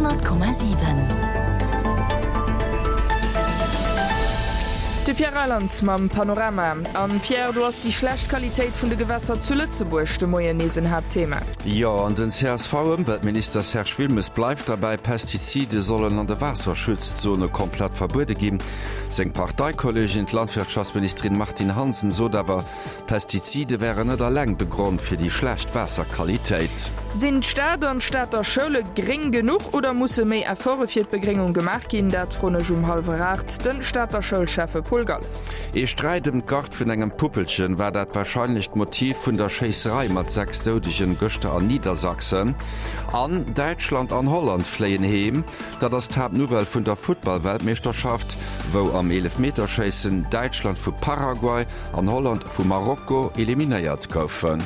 100,7. De Pierre Reyland mam Panorama. An Pierre, do ass déi schlecht Qualitéit vun de Gewässer zu Lëtzebuerg de Moien nees en Haaptthema. Jo, an den CSV-Ëmweltminister Serge Wilmes bleift derbäi, Pestizide sollen an de Waasserschutzzone komplett verbuede ginn. Seng Parteikolleegin, d'Landwirtschaftsministerin Martine Hansen, sot awer, Pestizide wären net alleng de Grond fir déi schlecht Waasserqualitéit. Sinn d'Stad an d'Stater Schoule gréng genuch oder musse méi Efforte fir d'Begréngung gemaach ginn? Dat froen ech um hallwer 8 de Stater Schoulschäffe Paul Galles. Ee Sträit ëm d'Gard vun engem Puppelchen war dat warscheinlecht Motiv vun der Schéisserei mat 6 Doudegen gëschter an Niedersachsen. An Däitschland an Holland fléien heem. Dat ass d'Haaptnouvelle vun der Futtball-Weltmeeschterschaft, wou am Eelefmeterschéissen Däitschland vu Paraguay an Holland vu Marokko eliminéiert goufen.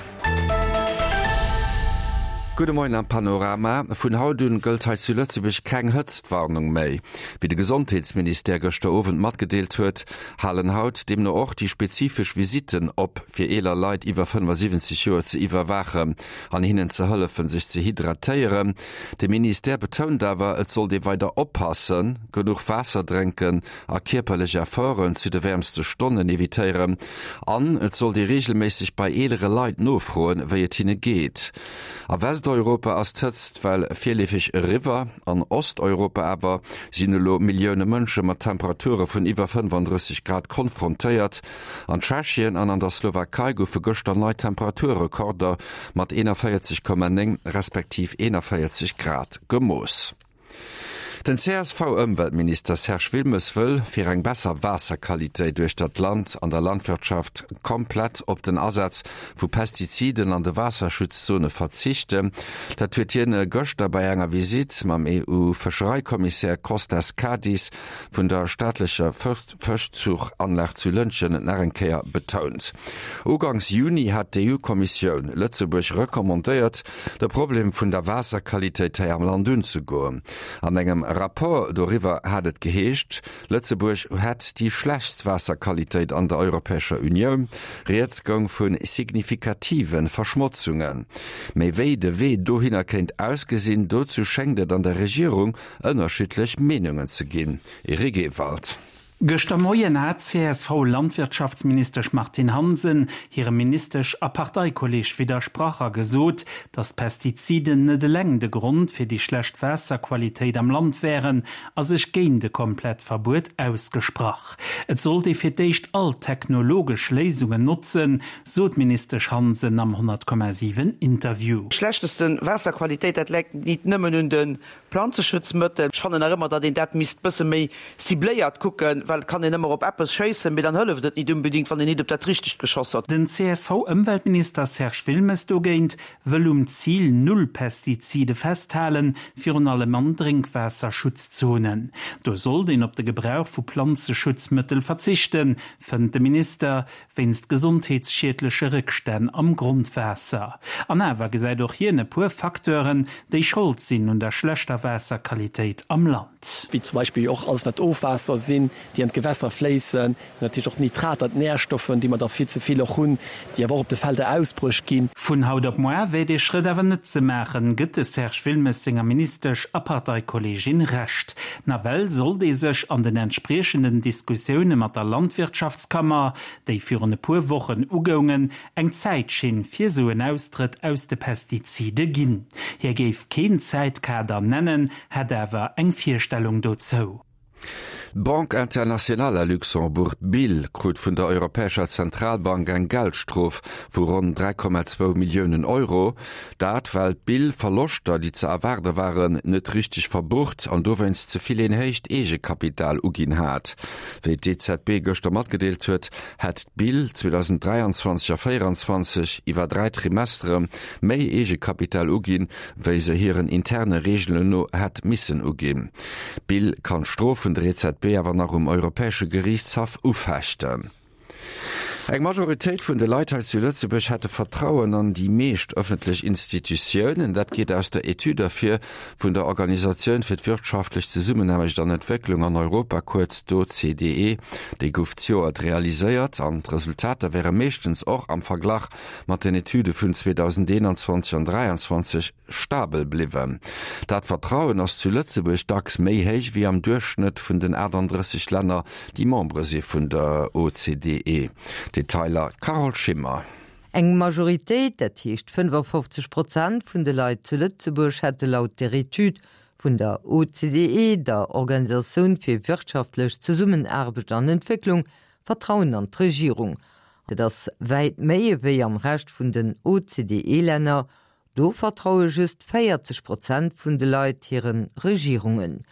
Gudde Moien am Panorama. Vun haut un gëllt hei zu Lëtzebuerg keng Hëtztwarnung méi. Wéi de Gesondheetsministère gëschter Owend matgedeelt huet, halen haut deemno och déi spezifesch Visitten op, fir eeler Leit iwwer 75 Joer ze iwwerwaachen an hinnen ze hëllefen, sech ze hydratéieren. De Ministère betount awer, et sollt ee weider oppassen, genuch Waasser drénken a kierperlech Efforten zu de wäermste Stonnen evitéieren an et sollt ee reegelméisseg bei eelere Leit nofroen, wéi et hinne geet. A Westeuropa ass d'Hëtztwell virleefeg eriwwer, an Osteuropa awer sinn elo Millioune Mënsche mat Temperature vun iwwer 35 Grad konfrontéiert. An Tschechien an an der Slowakei goufe gëschter nei Temperaturrekorder mat 41,9 respektiv 41 Grad gemooss. Den CSV-Ëmweltminister Serge Wilmes wëll, fir eng besser Waasserqualitéit uechter d'Land an der Landwirtschaft, komplett op den Asaz vu Pestiziden an de Waasserschutzzone verzichten. Dat huet hien gëschter bei enger Visitt mam EU-Fëschereikommissär Kostas Kadis vun der staatlecher Fëschzuchanlag zu Lëntgen nach eng Kéier betount. Uganks Juni hat d'EU-Kommissioun Lëtzebuerg recommandéiert, de Problem vun der Waasserqualitéit hei am Land unzegoen. An engem Rapport doriwwer hat et geheescht, Lëtzebuerg hätt déi schlechtst Waasserqualitéit an der Europäescher Unioun. Rieds goung vu signifikative Verschmotzungen. Mee wéi de Wee dohinner kéint ausgesinn, dozou schéngt et an der Regierung ënnerschiddlech Meenungen ze ginn. Eric Ewald. Gëschter Moien hat d'CSV-Landwirtschaftsministesch Martine Hansen hirem Ministesch a Parteikolleeg widdersprach a gesot, datt d'Pestiziden net eleng de Grond fir déi schlecht Waasserqualitéit am Land wären a sech géint e komplett Verbuet ausgesprach. Et sollt ee fir d'éischt all technologesch Léisungen notzen, sot d'Ministesch Hansen am 100,7 Interview. Schlechteste Waasserqualitéit, dat läit nit nëmmen un de Planzeschutzmëttel, ech fannen nach ëmmer, datt een dat misst bësse méi cibléiert kucken, well et kann een ëmmer op eppes schéissen, mee dann hëlleft et nit unbedingt, wann een nit op dat Richtegt geschoss huet. Den CSV-Ëmweltminister Serge Wilmes dogéint wëll um Zil Null Pestizide festhalen, virun allem an Drénkwaasserschutzzonen. Do sollt een op de Gebrauch vu Planzeschutzmëttel verzichten, fënnt de Minister. Wéinst gesondheetsschiedleche Réckstänn am Grondwaasser. An awer gesäit och hien e puer Facteuren, déi Schold sinn un der schlechter Waasserqualitéit am Land. Wéi zum Beispill och alles wat Ofwaasser sinn, déi an d'Gewässer fléissen, natierlech och d'Nitrater, d'Närstoffen, déi mer der vill ze vill och hunn, déi awer och op de Felder ausbruecht ginn. Vun haut op moar wär dee Schrëtt awer net ze maachen, gëtt de Serge Wilmes senger Ministesch a Parteikolleegin Recht. Nawell sollt ee sech an den entspriechenden Diskussioune mat der Landwirtschaftskammer, déi virun e puer Wochen ugoungen, eng Zäitschinn fir sou en Austrëtt aus de Pestizide ginn. Hie géif keen Zäitkader nennen, hätt awer eng Virstellung dozou. D'Banque Internationale à Luxembourg, d'BIL, krut vun der Europäescher Zentralbank eng Geldstrof vu ronn 3,2 Milliounen Euro. Dat well d'BIL Verloschter, déi ze erwaarde waren, net richteg verbucht an dowéinst ze vill een héicht Eegekapital uginn hat. Wéi d'EZB gëschter matgedeelt huet, hätt d'BIL 2023 a 2024 iwwer 3 Trimestere méi Eegekapital uginn, wéi se hiren interne Reegelen no hätt missen uginn. D'BIL kann d'Strof vun der EZB awer nach um Europäesche Geriichtshaff ufechten. Eng Majoritéit vun de Leit hei zu Lëtzebuerg hätte Vertrauen an déi meescht ëffentlech Institutiounen. Dat geet aus der Etüd ervir vun der Organisatioun fir d'wirtschaftlech Zesummenaarbecht an Entwécklung an Europa, kuerz d'OCDE. Déi gouf d'Joert realiséiert an d'Resultater wäre meeschtens och am Verglach mat den Etüde vun 2021 an 2023 stabel bliwwen. Dat Vertrauen ass zu Lëtzebuerg dacks méi héich wéi am Duerchschnëtt vun den 38 Länner, déi Membere si vun der OCDE. Detailer Carole Schimmer. Eng Majoritéit, dat heescht 55 Prozent vun de Leit zu Lëtzebuerg hätte laut der Etüd vun der OCDE, der Organisatioun fir wirtschaftlech Zesummenaarbecht an Entwécklung, Vertrauen an d'Regierung. Dat ass wäit méi ewéi am Rescht vun den OCDE-Länner. Do vertraue just 40 Prozent vun de Leit hire Regierungen.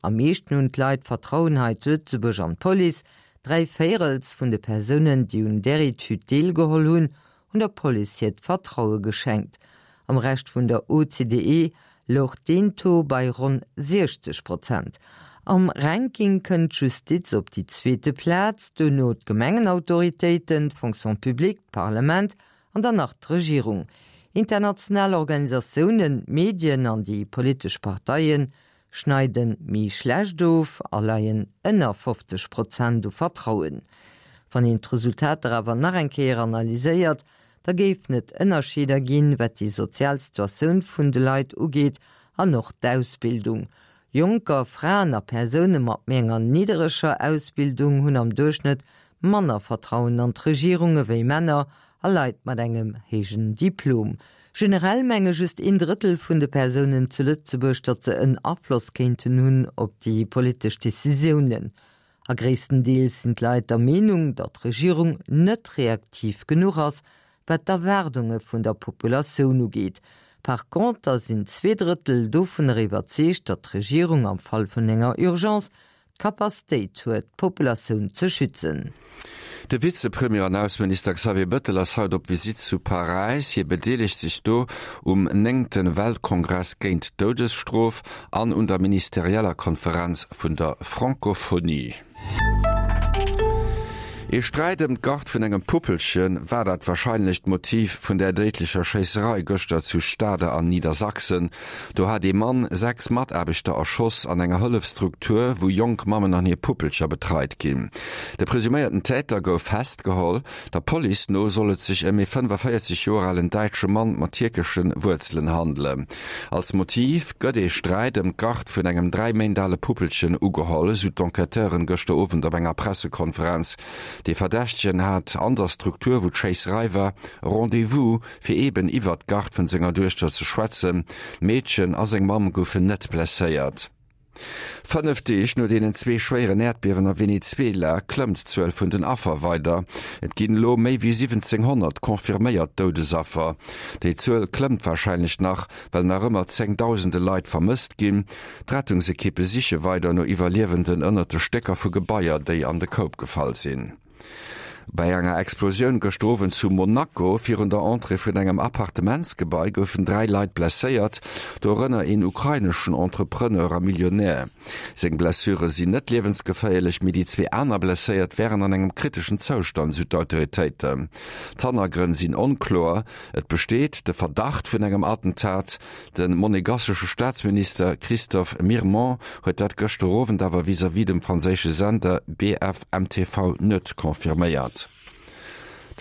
Am meeschten hunn d'Leit Vertrauen hei zu Lëtzebuerg an d'Police. 3 Véirels vun de Persounen, déi un där Etüd deelgeholl hunn, hunn der Police hiert Vertraue geschenkt. Am Rescht vun der OCDE louch deen Taux bei ronn 60 Prozent. Am Ranking kënnt d'Justiz op déi zweete Plaz, duerno d'Gemengenautoritéiten, d'Fonction publique, d'Parlament an dann nach d'Regierung. International Organisatiounen, d'Medien an déi politesch Parteie schneide méi schlecht of a leien ënner 50 Prozent u Vertrauen. Wann een d'Resultater awer nach eng Kéier analyséiert, da géifen et Ënnerscheeder ginn, wat déi sozial Situatioun vun de Leit ugeet an och d'Ausbildung. Jonker, Fraen a Persoune mat méi enger niddereger Ausbildung hunn am Duerchschnëtt manner Vertrauen an d'Regierung ewéi Männer a Leit mat engem héijen Diplom. Generell menge just een Drëttel vun de Persounen zu Lëtzebuerg, datt se en Afloss kéinten hunn op déi politesch Decisiounen. A gréisstendeels sinn d'Leit der Meenung, datt d'Regierung net reaktiv genuch ass, wat d'Erwaardunge vun der Populatioun ugeet. Par conter sinn zweedrëttel dovunner iwwerzeegt, datt d'Regierung am Fall vun enger Urgence d'Capacitéit huet, d'Populatioun ze schützen. De Vizepremier an Ausseminister Xavier Bëttel ass haut op Visitt zu Paräis. Hie bedeelegt sech do um néngte Weltkongress géint d'Doudesstrof an un der ministerieller Konferenz vun der Francophonie. Ee Sträit ëm d'Gard vun engem Puppelche war dat warscheinlecht Motiv vun där déidlecher Schéisserei gëschter zu Stade an Niedersachsen. Do hat ee Mann 6 Mataarbechter erschoss an enger Hëllefsstruktur, wou jonk Mammen an hir Puppelcher betreit ginn. De presuméierten Täter gouf festgeholl. Der Police no soll et sech ëm ee 45 Joer alen däitsche Mann mat tierkesche Wuerzelen handelen. Als Motiv gëtt ee Sträit ëm d'Gard vun engem 3 Méint ale Puppelchen ugeholl, esou d'Enquêteuren gëschter Owend op enger Pressekonferenz. De Verdächtegen hat an der Struktur, wou d'Schéisserei war, Rendez-vous, fir eeben iwwert d'Gard vun senger Duechter ze schwätzen. D'Meedchen a seng Mamm goufen net blesséiert. 5 Deeg no deenen zwee schwéieren Äerdbiewen a Venezuela klëmmt d'Zuel vun den Affer weider. Et ginn elo méi wéi 1.700 confirméiert Doudesaffer. Déi Zuel klëmmt warscheinlech nach, well nach ëmmer zéngdausende Leit vermësst ginn. D'Rettungsekippe siche weider no Iwwerliewenden ënnert de Stécker vu Gebaier, déi an de Koup gefall sinn. Bei enger Explosioun gëschter Owend zu Monaco virun der Entrée vun engem Appartementsgebai goufen 3 Leit blesséiert, dorënner een ukraineschen Entrepreneur a Millionär. Seng Blessure sinn net liewensgeféierlech, mee déi zwee aner Blesséiert wären an engem kriteschen Zoustand, sou d'Autoritéiten. D'Hannergrënn sinn onkloer, et besteet de Verdacht vun engem Attentat. De monegassesche Staatsminister Christophe Mirmont huet dat gëschter Owend awer vis-à-vis dem franséische Sender BFMTV net confirméiert.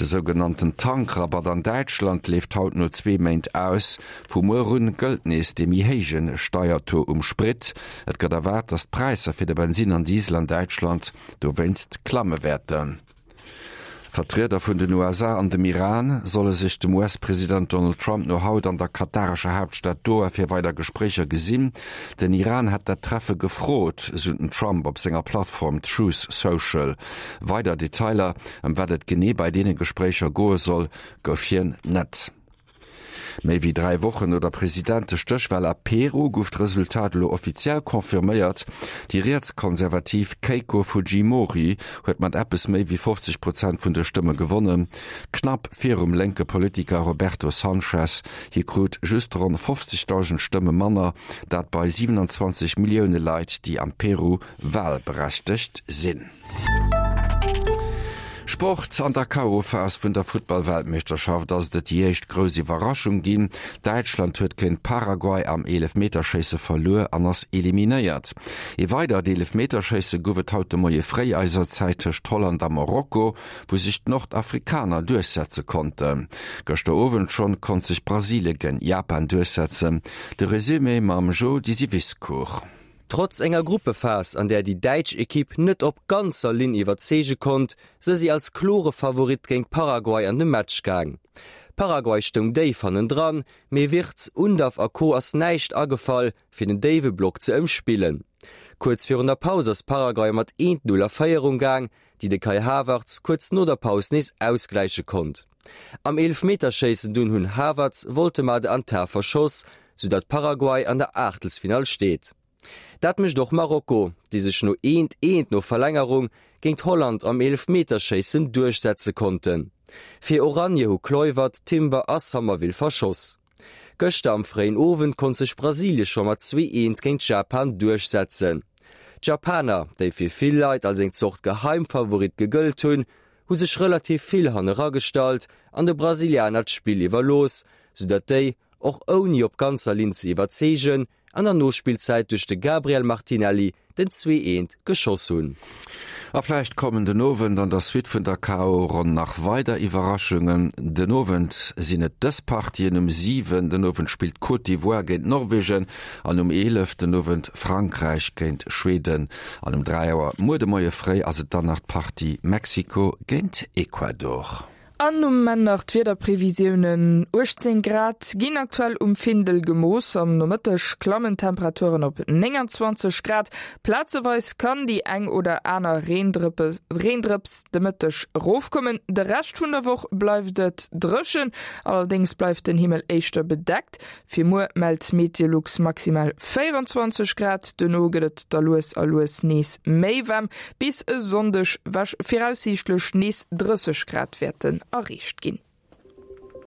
De sougenannten Tankrabatt an Däitschland leeft haut no zwee Méint aus. Vu muer un gëllt nees dee méi héije Steiertaux um Sprit. Et gëtt erwaart, datt d'Präisser fir de Bensinn an Diesel an Däitschland dowéinst klamme wäerten. Vertrieder vun den USA an dem Iran solle sech dem US-President Donald Trump no haut an der katarescher Haaptstad Doha fir weider Gespréicher gesinn. Den Iran hätt dat Treffe gefrot, sou den Trump op senger Plattform Truth Social. Weider Detailer, ëm wat et genee bei deene Gespréicher goe soll, gouf hien net. Méi wéi 3 Wochen no der Presidentestéchwal a Peru gouf d'Resultat elo offiziell confirméiert. Déi rietskonservativ Keiko Fujimori huet mat eppes méi wéi 50 Prozent vun de Stëmme gewonnen, knapp virum lénke Politiker Roberto Sanchez. Hie krut just ronn 50.000 Stëmme manner, dat bei 27 Millioune Leit, déi am Peru walberechtegt sinn. Sport, An der KO-Phas vun der Futtball-Weltmeeschterschaft ass et et déi éischt grouss Iwwerraschung ginn. Däitschland huet géint Paraguay am Eelefmeterschéisse verluer an ass eliminéiert. Ee weidert Eelefmeterschéisse gouf et haut de Moie fréi eiser Zäit tëscht Holland a Marokko, wou sech d'Nordafrikaner duerchsetze konnten. Gëschter Owend schonn konnt sech Brasilie géint Japan duerchsetzen. De Resumé mam Jo Disiviscour. Trotz enger Gruppephas, an där déi däitsch Ekipp net op ganzer Linn iwwerzeege konnt, se si als klore Favorit géint Paraguay an de Match gaang. Paraguay stoung déif hannendran, mee Wirtz, Undav a Co ass näischt agefall, fir den déiwe Block ze ëmspillen. Kuerz virun der Paus ass Paraguay mat 1, 0 a Féierung gaang, déi de Kai Havertz kuerz no der Paus nees ausgläiche konnt. Am Eelefmeterschéissen dunn hunn Havertz, Woltemade an Tah verschoss, soudatt Paraguay an der Aachtelsfinall steet. Dat mécht och Marokko, déi sech no eent eent no Verlängerung géint Holland am Eelefmeterschéissen duerchsetze konnten. Fir Oranje hu Kluivert, Timber a Summerville verschoss. Gëschter am fréien Owend konnt sech Brasilie scho mat 2 eent géint Japan duerchsetzen. D'Japaner, déi fir vill Leit als eng Zort Geheimfavorit gegëllt hunn, hu sech relativ vill hanne ragestallt an de Brasilianer d'Spill iwwerlooss, soudatt déi, och ouni op ganzer Linn ze iwwerzeegen, an der Nospillzäit duerch de Gabriel Martinelli den 2 eent geschoss hunn. A vläicht kommen den Owend an der Suite vun der KO-Ronn nach weider Iwwerraschungen. Den Owend sinn et dës Partien, Um 7 den Owend spillt d'Côte d'Ivoire géint Norwegen an um 11 den Owend Frankräich géint Schweden. An um 3 Auer muer de Moie fréi ass et dann nach d'Partie Mexiko géint Ecuador. An um Enn nach d'Wiederprevisiounen, 18 Grad ginn aktuell um Findel gemooss, am Nomëtteg klammen d'Temperaturen op 29 Grad. Plazeweis kann déi eng oder aner Reendrëps de Mëtteg erofkommen. De Rescht vun der Woch bleift et dréchen, allerdéngs bleift den Himmel éischter bedeckt. Fir muer mellt Meteolux maximal 24 Grad, duerno gëtt et da lues a lues nees méi waarm, bis e Sonndeg viraussiichtlech nees 30 Grad wäerten erreecht ginn.